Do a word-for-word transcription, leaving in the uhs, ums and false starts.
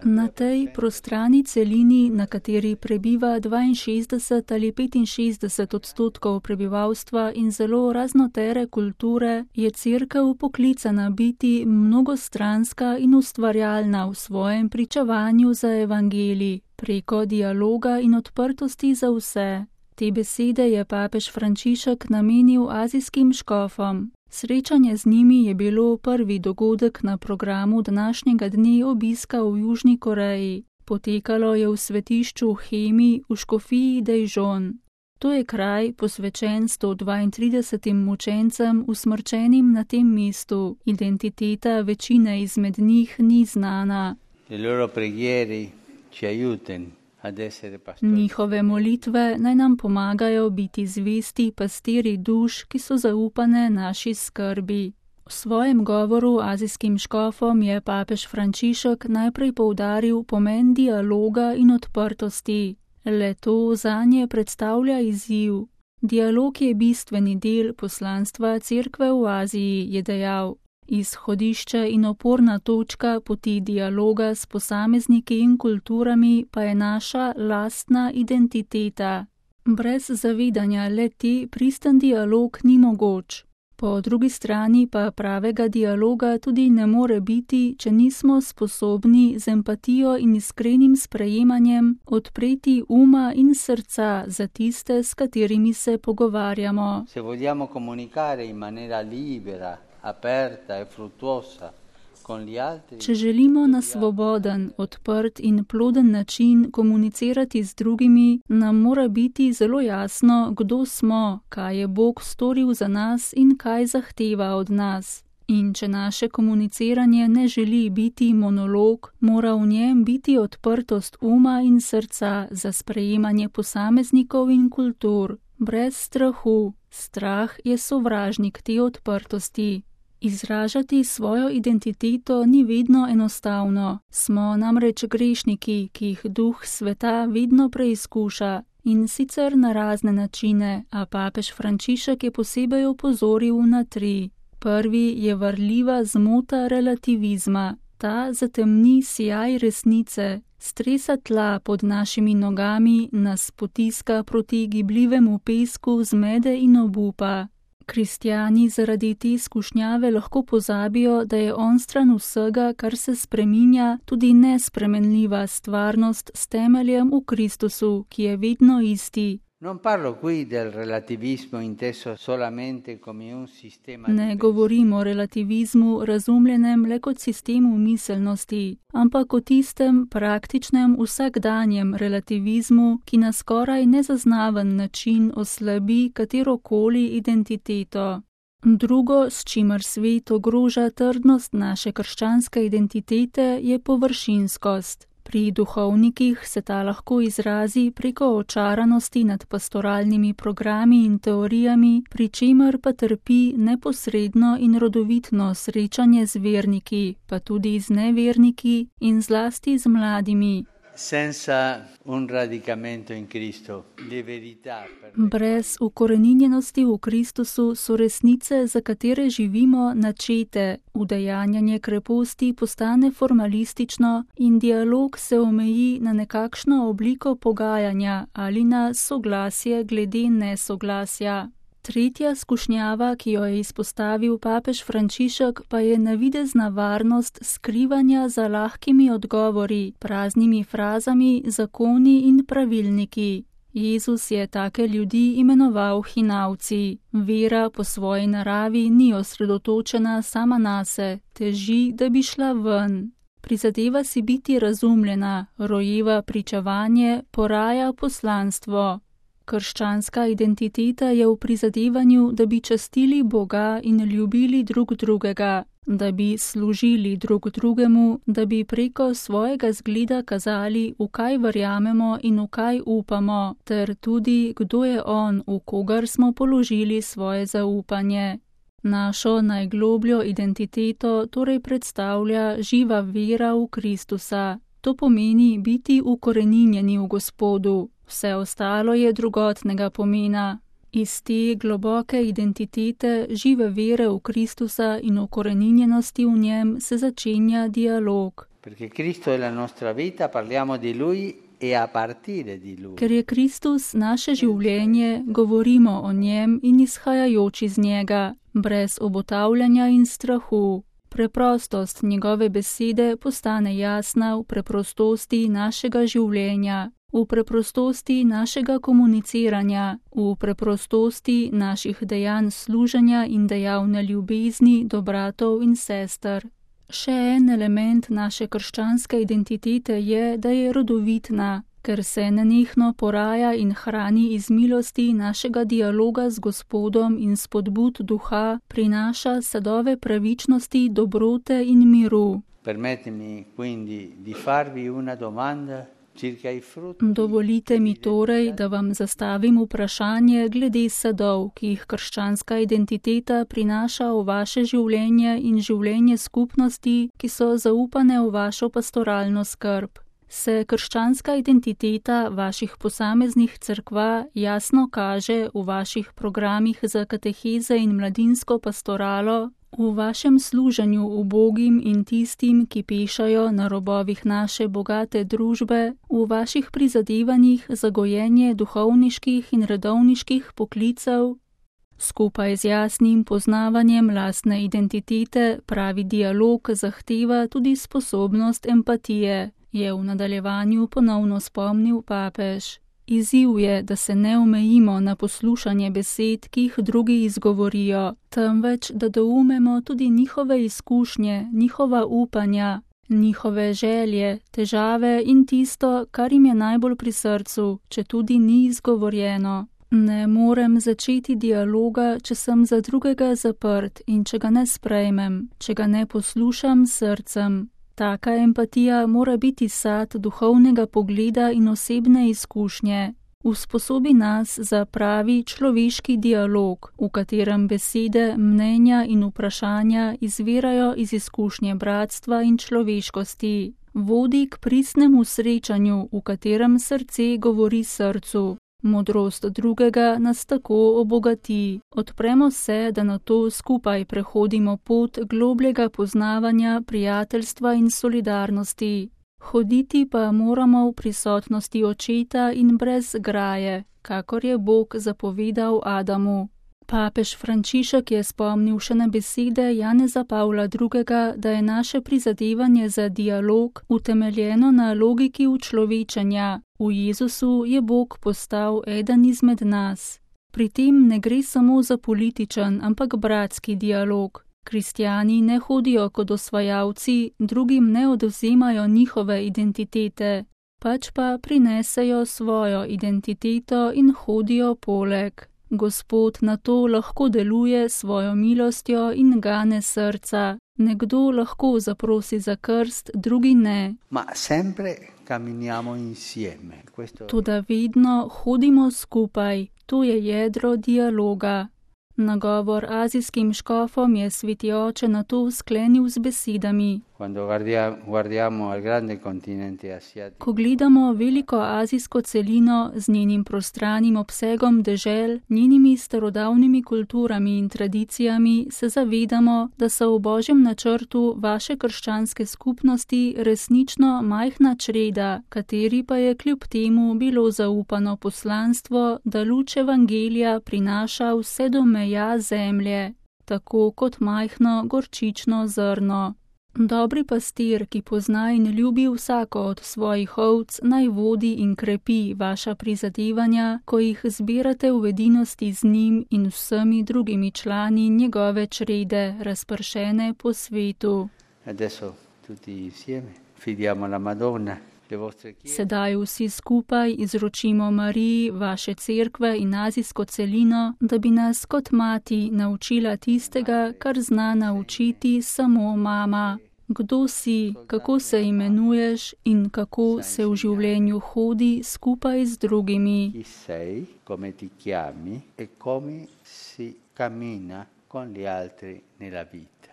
Na tej prostrani celini, na kateri prebiva dvainšestdeset ali petinšestdeset odstotkov prebivalstva in zelo raznotere kulture, je Cerkev poklicana biti mnogostranska in ustvarjalna v svojem pričevanju za evangelij, preko dialoga in odprtosti za vse. Te besede je papež Frančišek namenil azijskim škofom. Srečanje z njimi je bilo prvi dogodek na programu današnjega dne obiska v Južni Koreji. Potekalo je v svetišču Hemi v škofiji Daejeon. To je kraj posvečen sto dvaintridesetim mučencem usmrčenim na tem mestu. Identiteta večine izmed njih ni znana. Njihove molitve naj nam pomagajo biti zvesti pastiri duš, ki so zaupane naši skrbi. V svojem govoru azijskim škofom je papež Frančišek najprej poudaril pomen dialoga in odprtosti. Le to zanje predstavlja izziv. Dialog je bistveni del poslanstva Cerkve v Aziji, je dejal. Izhodišče in oporna točka poti dialoga s posamezniki in kulturami pa je naša lastna identiteta. Brez zavedanja le-te pristen dialog ni mogoč. Po drugi strani pa pravega dialoga tudi ne more biti, če nismo sposobni z empatijo in iskrenim sprejemanjem odpreti uma in srca za tiste, s katerimi se pogovarjamo. Se vogliamo comunicare in maniera libera, aperta e fruttuosa con gli altri. Če želimo na svoboden, odprt in ploden način komunicirati z drugimi, nam mora biti zelo jasno, kdo smo, kaj je Bog storil za nas in kaj zahteva od nas. In če naše komuniciranje ne želi biti monolog, mora v njem biti odprtost uma in srca za sprejemanje posameznikov in kultur, brez strahu. Strah je sovražnik te odprtosti. Izražati svojo identiteto ni vedno enostavno. Smo namreč grešniki, ki jih duh sveta vedno preizkuša, in sicer na razne načine, a papež Frančišek je posebej opozoril na tri. Prvi je varljiva zmota relativizma. Ta zatemni sijaj resnice, stresa tla pod našimi nogami, nas potiska proti gibljivemu pesku zmede in obupa. Kristjani zaradi te skušnjave lahko pozabijo, da je onstran vsega, kar se spreminja, tudi nespremenljiva stvarnost s temeljem v Kristusu, ki je vedno isti. Non parlo qui del relativismo inteso solamente come un sistema. Ne govorim o relativizmu razumljenem le kot sistemu miselnosti, ampak o tistem praktičnem vsakdanjem relativizmu, ki na skoraj nezaznaven način oslabi katerokoli identiteto. Drugo, s čimer svet ogroža trdnost naše krščanske identitete, je površinskost. Pri duhovnikih se ta lahko izrazi preko očaranosti nad pastoralnimi programi in teorijami, pri čemer pa trpi neposredno in rodovitno srečanje z verniki, pa tudi z neverniki in zlasti z mladimi. Senza un radicamento in Cristo, le verità. Brez ukoreninjenosti v Kristusu so resnice, za katere živimo, načete, udejanjanje kreposti postane formalistično in dialog se omeji na nekakšno obliko pogajanja ali na soglasje glede nesoglasja. Tretja skušnjava, ki jo je izpostavil papež Frančišek, pa je navidezna varnost skrivanja za lahkimi odgovori, praznimi frazami, zakoni in pravilniki. Jezus je take ljudi imenoval hinavci. Vera po svoji naravi ni osredotočena sama nase, teži, da bi šla ven. Prizadeva si biti razumljena, rojeva pričevanje, poraja poslanstvo. Krščanska identiteta je v prizadevanju, da bi častili Boga in ljubili drug drugega, da bi služili drug drugemu, da bi preko svojega zgleda kazali, v kaj verjamemo in v kaj upamo, ter tudi, kdo je on, v kogar smo položili svoje zaupanje. Našo najglobljo identiteto torej predstavlja živa vera v Kristusa. To pomeni biti ukoreninjeni v Gospodu. Vse ostalo je drugotnega pomena. Iz te globoke identitete, žive vere v Kristusa in ukoreninjenosti v njem se začenja dialog. Perché Cristo è la nostra vita, parliamo di Lui e a partire di Lui. Ker je Kristus naše življenje, govorimo o njem in izhajajoč iz njega, brez obotavljanja in strahu. Preprostost njegove besede postane jasna v preprostosti našega življenja, v preprostosti našega komuniciranja, v preprostosti naših dejanj služenja in dejavne ljubezni do bratov in sester. Še en element naše krščanske identitete je, da je rodovitna, ker se nenehno poraja in hrani iz milosti našega dialoga z Gospodom in spodbud duha, prinaša sadove pravičnosti, dobrote in miru. Permettimi quindi di farvi una domanda. Dovolite mi torej, da vam zastavim vprašanje glede sadov, ki jih krščanska identiteta prinaša v vaše življenje in življenje skupnosti, ki so zaupane v vašo pastoralno skrb. Se krščanska identiteta vaših posameznih cerkva jasno kaže v vaših programih za kateheze in mladinsko pastoralo, v vašem služenju ubogim in tistim, ki pešajo na robovih naše bogate družbe, v vaših prizadevanjih za gojenje duhovniških in redovniških poklicev? Skupaj z jasnim poznavanjem lastne identitete pravi dialog zahteva tudi sposobnost empatije, je v nadaljevanju ponovno spomnil papež. Izziv je, da se ne omejimo na poslušanje besed, ki jih drugi izgovorijo, temveč da doumemo tudi njihove izkušnje, njihova upanja, njihove želje, težave in tisto, kar jim je najbolj pri srcu, če tudi ni izgovorjeno. Ne morem začeti dialoga, če sem za drugega zaprt in če ga ne sprejmem, če ga ne poslušam s srcem. Taka empatija mora biti sad duhovnega pogleda in osebne izkušnje. Usposobi nas za pravi človeški dialog, v katerem besede, mnenja in vprašanja izvirajo iz izkušnje bratstva in človeškosti. Vodi k pristnemu srečanju, v katerem srce govori srcu. Modrost drugega nas tako obogati. Odpremo se, da na to skupaj prehodimo pot globljega poznavanja, prijateljstva in solidarnosti. Hoditi pa moramo v prisotnosti očeta in brez graje, kakor je Bog zapovedal Adamu. Papež Frančišek je spomnil še na besede Janeza Pavla drugega., da je naše prizadevanje za dialog utemeljeno na logiki učlovečenja. V Jezusu je Bog postal eden izmed nas. Pri tem ne gre samo za političen, ampak bratski dialog. Kristjani ne hodijo kot osvajalci, drugim ne odvzemajo njihove identitete, pač pa prinesejo svojo identiteto in hodijo poleg. Gospod na to lahko deluje svojo milostjo in gane srca. Nekdo lahko zaprosi za krst, drugi ne. Ma sempre camminiamo insieme. Questo... Toda vedno hodimo skupaj, to je jedro dialoga. Nagovor azijskim škofom je sveti oče na to sklenil z besedami. Ko gledamo veliko azijsko celino z njenim prostranim obsegom dežel, njenimi starodavnimi kulturami in tradicijami, se zavedamo, da so v Božjem načrtu vaše krščanske skupnosti resnično majhna čreda, kateri pa je kljub temu bilo zaupano poslanstvo, da luč evangelija prinaša vse do meja zemlje, tako kot majhno gorčično zrno. Dobri pastir, ki pozna in ljubi vsako od svojih ovc, naj vodi in krepi vaša prizadevanja, ko jih zbirate v edinosti z njim in vsemi drugimi člani njegove črede, razpršene po svetu. Adesso tutti insieme fidiamo la Madonna. Sedaj vsi skupaj izročimo Mariji vaše cerkve in azijsko celino, da bi nas kot mati naučila tistega, kar zna naučiti samo mama. Kdo si, kako se imenuješ in kako se v življenju hodi skupaj z drugimi. Chi sei, come ti chiami e come si cammina con gli altri nella vita.